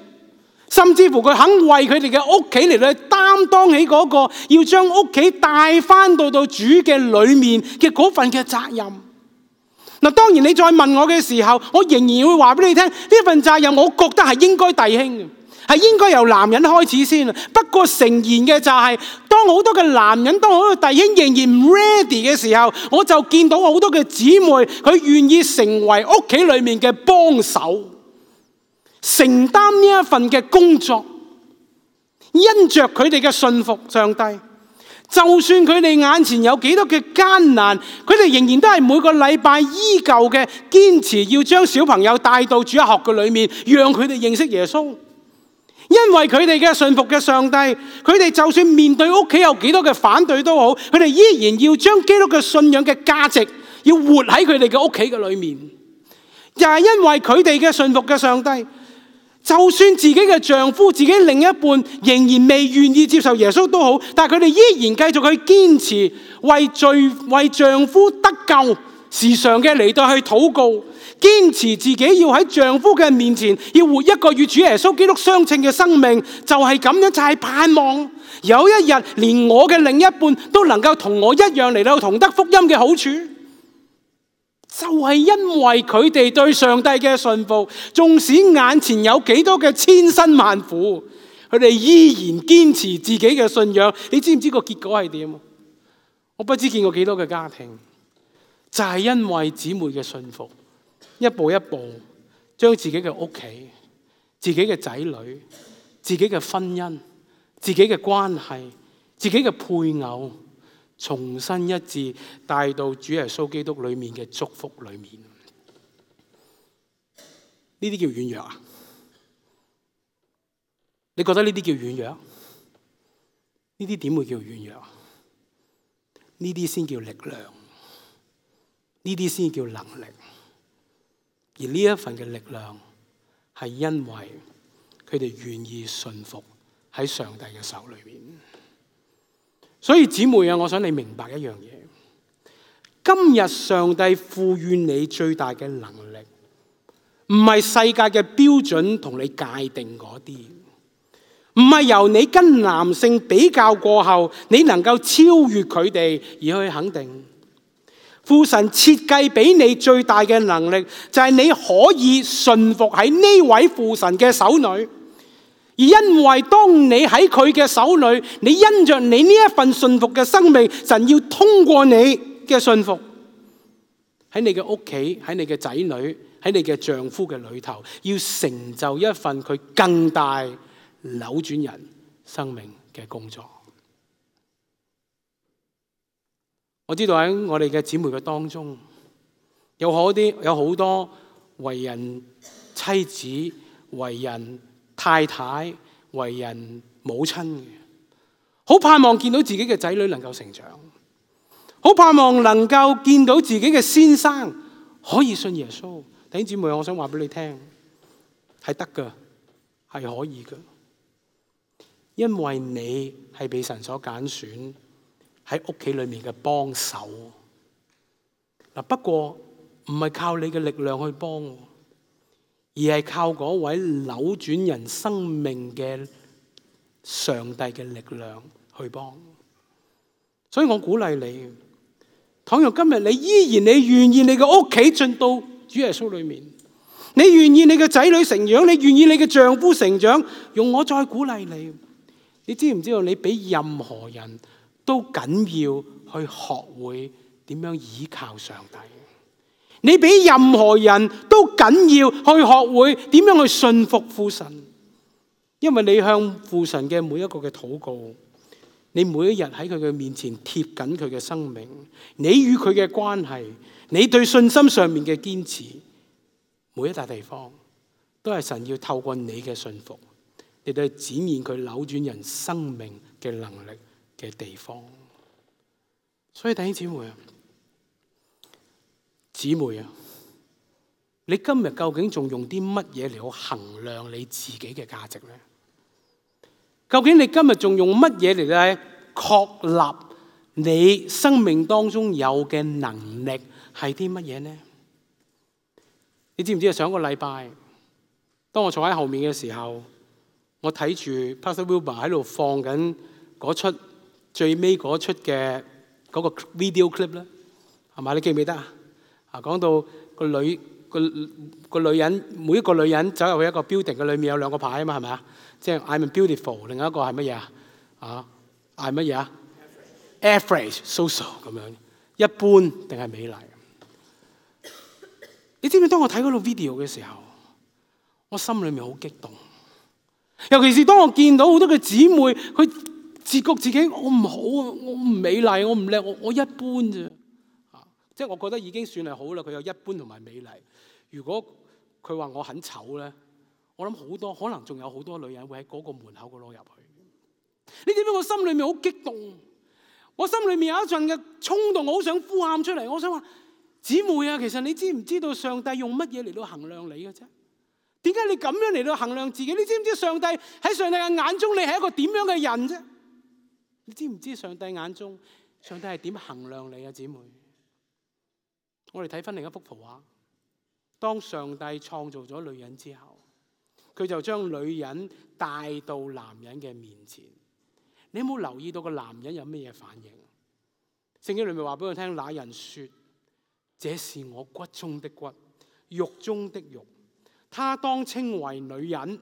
甚至乎佢肯為佢哋嘅屋企嚟到擔當起嗰個要將屋企帶翻到主嘅裏面嘅嗰份嘅責任。當然你再問我嘅時候，我仍然會話俾你聽，呢份責任我覺得係應該弟兄嘅，係應該由男人開始先。不過誠然嘅就係，當好多嘅男人，當好多弟兄仍然唔 ready 嘅時候，我就見到好多嘅姊妹，佢願意成為屋企裏面嘅幫手，承擔呢一份嘅工作，因着佢哋嘅信服上帝，就算佢哋眼前有幾多嘅艱難，佢哋仍然都係每個禮拜依舊嘅堅持要將小朋友帶到主日學嘅裏面，讓佢哋認識耶穌。因為佢哋嘅信服嘅上帝，佢哋就算面對屋企有幾多嘅反對都好，佢哋依然要將基督嘅信仰嘅價值要活喺佢哋嘅屋企嘅裏面。又係因為佢哋嘅信服嘅上帝，就算自己嘅丈夫、自己另一半仍然未願意接受耶穌都好，但係佢哋依然繼續去堅持為丈夫得救，時常嘅嚟到去禱告，堅持自己要喺丈夫嘅面前要活一個與主耶穌基督相稱嘅生命，就係咁樣，就係盼望有一日連我嘅另一半都能夠同我一樣嚟到同得福音嘅好處。就係因為佢哋對上帝嘅信服，縱使眼前有幾多嘅千辛萬苦，佢哋依然堅持自己嘅信仰。你知唔知個結果係點？我不知見過幾多嘅家庭，就係因為姊妹嘅信服，一步一步將自己嘅屋企、自己嘅仔女、自己嘅婚姻、自己嘅關係、自己嘅配偶，重新一致帶到主耶穌基督裏面嘅祝福裏面。呢啲叫軟弱啊？你覺得呢啲叫軟弱？呢啲點會叫軟弱？呢啲先叫力量，呢啲先叫能力。而呢一份嘅力量係因為佢哋願意順服喺上帝嘅手裏面。所以姊妹啊，我想你明白一樣嘢，今日上帝賦予你最大嘅能力，唔係世界嘅標準同你界定嗰啲，唔係由你跟男性比較過後，你能夠超越佢哋而去肯定。父神設計俾你最大嘅能力，就係你可以順服喺呢位父神嘅手裏。而因為當你喺佢嘅手裏，你因着你呢一份信服嘅生命，神要通過你嘅信服，喺你嘅屋企、喺你嘅仔女、喺你嘅丈夫嘅裏頭，要成就一份佢更大扭轉人生命嘅工作。我知道喺我哋嘅姊妹嘅當中，有好多為人妻子、為人太太、為人母親嘅，好盼望見到自己嘅仔女能夠成長，好盼望能夠見到自己嘅先生可以信耶穌。弟兄姊妹，我想話俾你聽，係得㗎，係可以㗎，因為你係被神所揀選喺屋企裏面嘅幫手。嗱，不過唔係靠你嘅力量去幫，而係靠嗰位扭轉人生命嘅上帝嘅力量去幫。所以我鼓勵你，倘若今日你依然你願意你嘅屋企進到主耶穌裏面，你願意你嘅仔女成長，你願意你嘅丈夫成長，用我再鼓勵你。你知唔知道你比任何人都緊要去學會點樣依靠上帝？你比任何人都緊要去學會點樣去信服父神，因為你向父神嘅每一個嘅禱告，你每一日喺佢嘅面前貼緊佢嘅生命，你與佢嘅關係，你對信心上面嘅堅持，每一笪地方都係神要透過你嘅信服，嚟到展現佢扭轉人生命嘅能力嘅地方。所以弟兄姊妹啊，你今日究竟仲用啲乜嘢嚟去衡量你自己嘅價值呢？究竟你今日仲用乜嘢嚟咧確立你生命當中有嘅能力係啲乜嘢呢？你知唔知啊？上個禮拜，當我坐喺後面嘅時候，我睇住 Pastor Wilbur 喺度放緊嗰出最尾嗰出嘅嗰個 video clip 咧，係嘛？你記唔記得啊？講到個女人，每一個女人走入去一個 building 嘅裏面有兩個牌啊嘛，係咪啊？即係 I'm beautiful， 另一個係乜嘢啊？I'm 乜嘢啊 ？Average, so-so 咁樣，一般定係美麗？你知唔知當我睇嗰套 video 嘅時候，我心裏面好激動。尤其是當我見到好多嘅姊妹，佢自覺自己我唔好啊，我唔美麗，我唔叻，我一般啫。即係我覺得已經算係好啦。佢有一般同埋美麗。如果佢話我很醜咧，我諗好多可能仲有好多女人會喺嗰個門口嗰攞入去。你知唔知我心裏面好激動？我心裏面有一陣嘅衝動，我好想呼喊出嚟。我想話姊妹啊，其實你知唔知道上帝用乜嘢嚟到衡量你嘅啫？點解你咁樣嚟到衡量自己？你知唔知上帝喺上帝嘅眼中你係一個點樣嘅人啫？你知唔知上帝眼中上帝係點衡量你啊，姊妹？我哋睇翻另一幅圖畫，當上帝創造咗女人之後，佢就將女人帶到男人嘅面前。你有冇留意到個男人有咩嘢反應？聖經裏面話俾我聽，那人說：這是我骨中的骨，肉中的肉，他當稱為女人，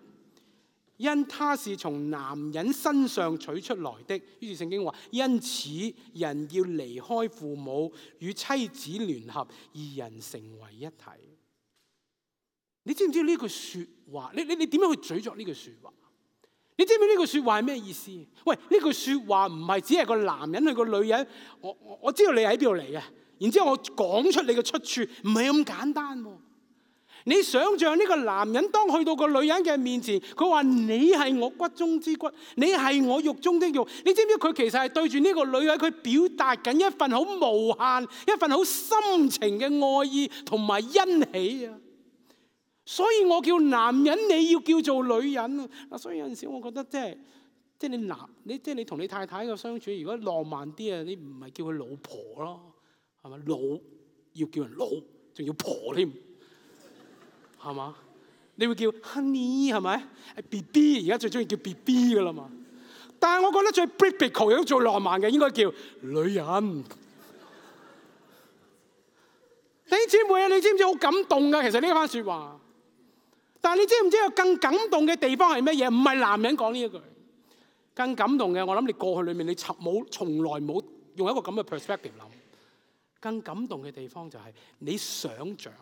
因他是從男人身上取出來的。於是聖經話：因此人要離開父母，與妻子聯合，二人成為一體。你知唔知呢句說話？你點樣去咀嚼呢句說話？你知唔知呢句說話係咩意思？喂，呢句說話唔係只係個男人去個女人，我知道你喺邊度嚟嘅，然之後我講出你嘅出處，唔係咁簡單。你想象呢個男人當去到個女人嘅面前，佢話你係我骨中之骨，你係我肉中的肉。你知唔知佢其實係對住呢個女人，佢表達緊一份好無限、一份好深情嘅愛意同埋欣喜啊！所以我叫男人，你要叫做女人啊！所以有陣時我覺得即係你同你太太嘅相處，如果浪漫啲啊，你唔係叫佢老婆咯，係咪？老要叫人老，仲要婆添，係嘛？你會叫 honey 係咪？係 BB， 而家最中意叫 BB 噶啦嘛。但係我覺得最 biblical 亦都最浪漫嘅，應該叫女人。弟兄姊妹啊，你知唔知好感動噶？其實呢番說話。但係你知唔知有更感動嘅地方係乜嘢？唔係男人講呢一句，更感動嘅，我諗你過去裏面你從來冇用一個咁嘅 perspective 諗。更感動嘅地方就係你想象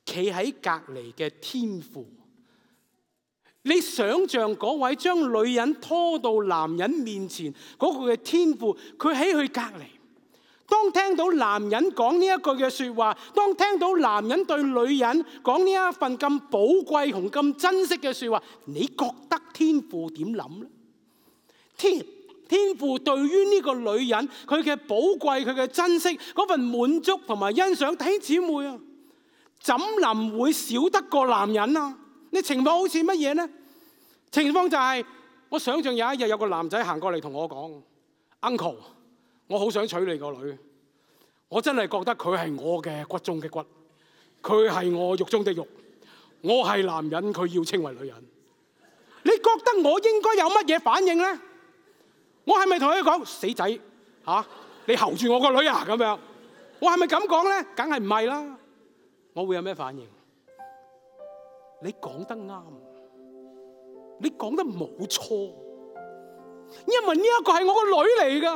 企喺隔離嘅天父，你想象嗰位將女人拖到男人面前嗰個嘅天父，佢喺佢隔離。當聽到男人講呢一句嘅說話，當聽到男人對女人講呢一份咁寶貴同咁珍惜嘅說話，你覺得天父點諗咧？天父對於呢個女人佢嘅寶貴、佢嘅珍惜、嗰份滿足同埋欣賞，弟兄姊妹啊，怎能會少得過男人啊？你情況好似乜嘢呢？情況就係，我想象有一日有個男仔行過嚟同我講 ，Uncle， 我好想娶你個女，我真係覺得佢係我嘅骨中嘅骨，佢係我肉中的肉，我係男人，佢要稱為女人。你覺得我應該有乜嘢反應呢？我係咪同佢講死仔你睺住我個女啊咁樣？我係咪咁講呢？梗係唔係啦。我會有咩反應？你講得啱，你講得冇錯，因為呢一個係我個女嚟噶，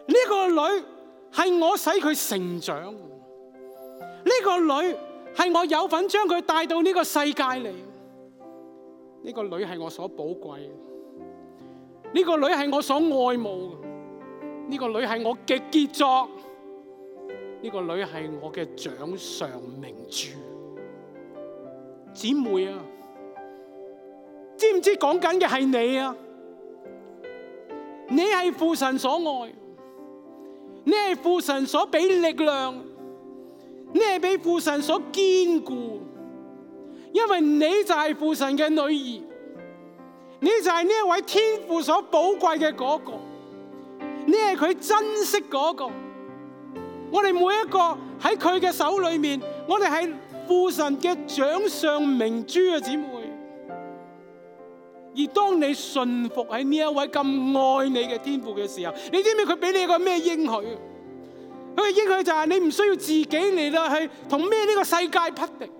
呢個女係我使佢成長，呢個女係我有份將佢帶到呢個世界嚟，呢個女係我所寶貴，呢個女係我所愛慕，呢個女係我嘅傑作，呢個女係我嘅掌上明珠。姊妹啊，知唔知講緊嘅係你啊？你係父神所愛，你係父神所俾力量，你係俾父神所堅固，因為你就係父神嘅女兒，你就係呢一位天父所寶貴嘅嗰個，你係佢珍惜嗰個。我哋每一個喺佢嘅手裏面，我哋係父神嘅掌上明珠啊，姊妹。而當你信服喺呢一位咁愛你嘅天父嘅時候，你知唔知佢俾你一個咩應許？佢嘅應許就係你唔需要自己嚟到去同咩呢個世界匹敵，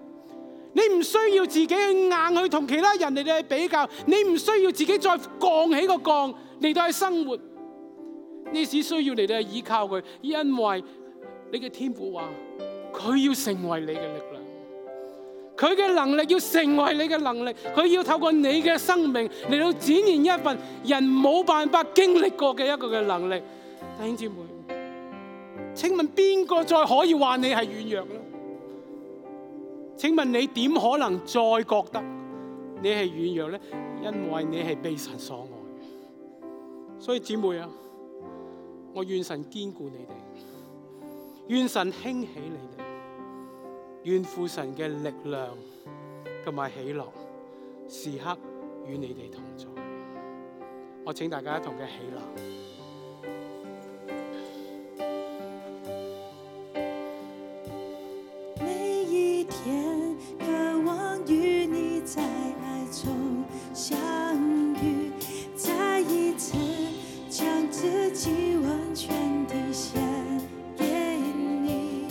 你唔需要自己去硬去同其他人嚟到去比較，你唔需要自己再槓起個槓嚟到去生活，你只需要嚟到去依靠佢，因為你嘅天父話佢要成為你嘅力量，佢嘅能力要成為你嘅能力，佢要透過你嘅生命嚟到展現一份人冇辦法經歷過嘅一個嘅能力。弟兄姊妹，請問邊個再可以話你係軟弱呢？請問你點可能再覺得你係軟弱呢？因為你係被神所愛。所以姊妹啊，我願神堅固你哋，願神興起你哋，願父神嘅力量同埋喜樂時刻與你哋同在。我請大家一同嘅起立。每一天渴望與你在愛中相遇，再一次將自己完全地獻給你，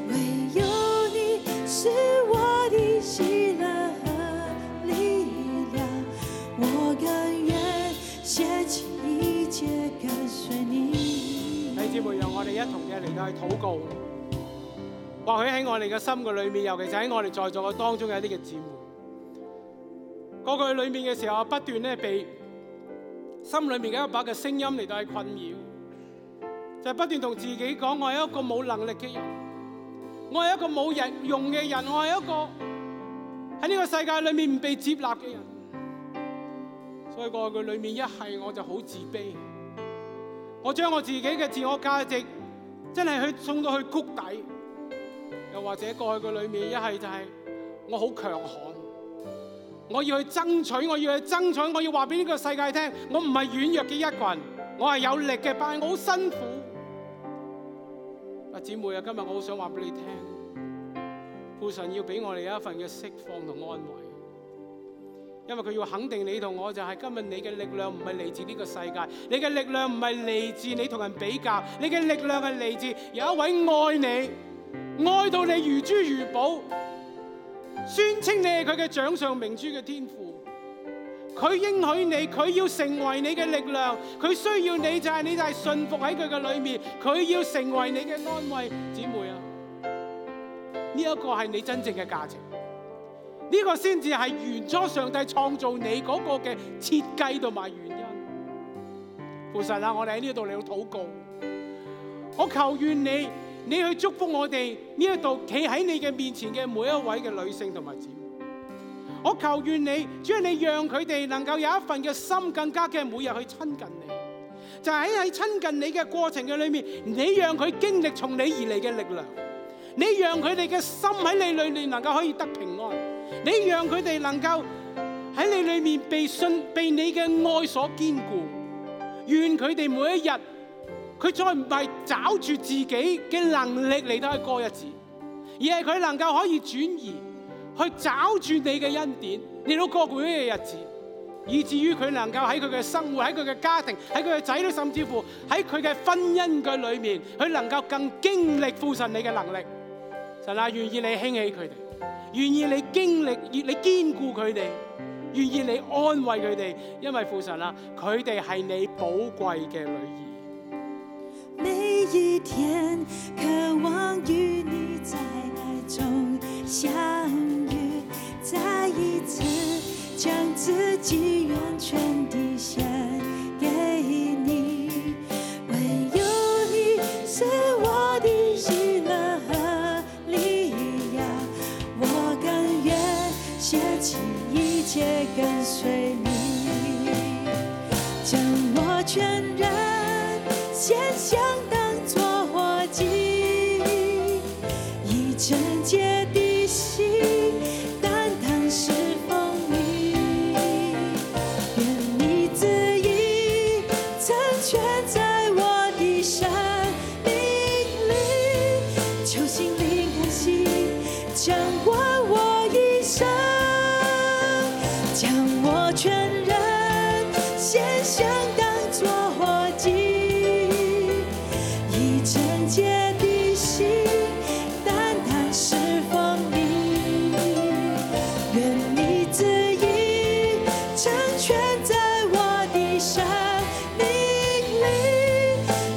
唯有你是我的喜樂和力量，我甘願捨棄一切跟隨你。弟兄姊妹，讓我哋一同嘅嚟到去禱告。或許喺我哋嘅心嘅裏面，尤其是喺我哋在座嘅當中有一啲嘅姊妹，過去裏面嘅時候不斷咧被心裏面嘅一把嘅聲音嚟到去困擾，就係不斷同自己講：我係一個冇能力嘅人，我係一個冇人用嘅人，我係一個喺呢個世界裏面唔被接納嘅人。所以過去裏面一係我就好自卑，我將我自己嘅自我價值真係去送到去谷底。又或者過去嘅裏面一係就係我好強悍，我要去爭取，我要話俾呢個世界聽，我唔係軟弱嘅一群，我係有力嘅，但係我好辛苦。姊妹啊，今日我好想話俾你聽，父神要俾我哋有一份嘅釋放同安慰，因為佢要肯定你同我，就係今日你嘅力量唔係嚟自呢個世界，你嘅力量唔係嚟自你同人比較，你嘅力量係嚟自有一位愛你，愛到你如珠如寶，宣稱你係佢嘅掌上明珠嘅天父。佢應許你，佢要成為你嘅力量，佢需要你就係你就係信服喺佢嘅裏面，佢要成為你嘅安慰。姊妹啊，呢一個係你真正嘅價值，呢個先至係原初上帝創造你嗰個嘅設計同埋原因。父神啊，我哋喺呢度嚟到禱告，我求願你去祝福我哋呢一度企喺你嘅面前嘅每一位嘅女性同埋姊妹。我求願你，主啊，你讓佢哋能夠有一份嘅心，更加嘅每日去親近你。就喺親近你嘅過程嘅裏面，你讓佢經歷從你而嚟嘅力量，你讓佢哋嘅心喺你裏面能夠可以得平安，你讓佢哋能夠喺你裏面被你嘅愛所堅固。願佢哋每一日，佢再唔係找住自己嘅能力嚟到去過日子，而係佢能夠可以轉移去找住你嘅恩典嚟到過每一個日子，以至於佢能夠喺佢嘅生活、喺佢嘅家庭、喺佢嘅仔女，甚至乎喺佢嘅婚姻嘅裏面，佢能夠更經歷父神你嘅能力。神啊，願意你興起佢哋，願意你經歷，願你堅固佢哋，願意你安慰佢哋，因為父神啊，佢哋係你寶貴嘅女兒。每一天渴望與你在愛中相遇，再一次將自己完全地獻給你，唯有你是我的喜樂和力量，我甘願捨棄一切跟隨你，將我全人獻上當作活祭，以聖潔的心單單侍奉你，願你旨意成全在我的生命裏，求心靈甘心掌管我一生，將我全人獻上當作活祭，以聖潔的心單單侍奉你，願你旨意成全在我的生命裏，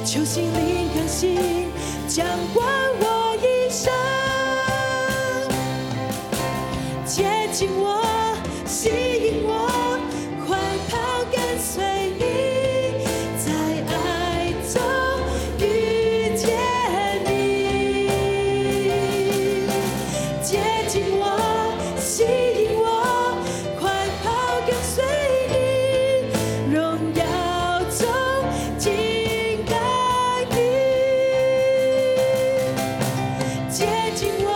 求心靈甘心掌管我一生，接近我，吸引我，快跑跟隨你，在愛中遇見你，接近我，吸引我，快跑跟隨你，榮耀中敬拜你，接近我，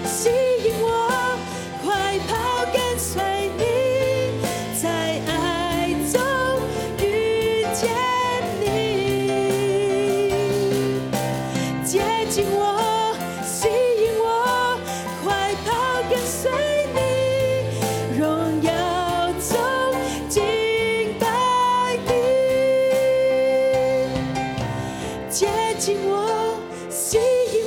吸引我，快跑跟隨你，在愛中遇見你，接近我，吸引我，快跑跟隨你，榮耀中敬拜你，接近我，吸引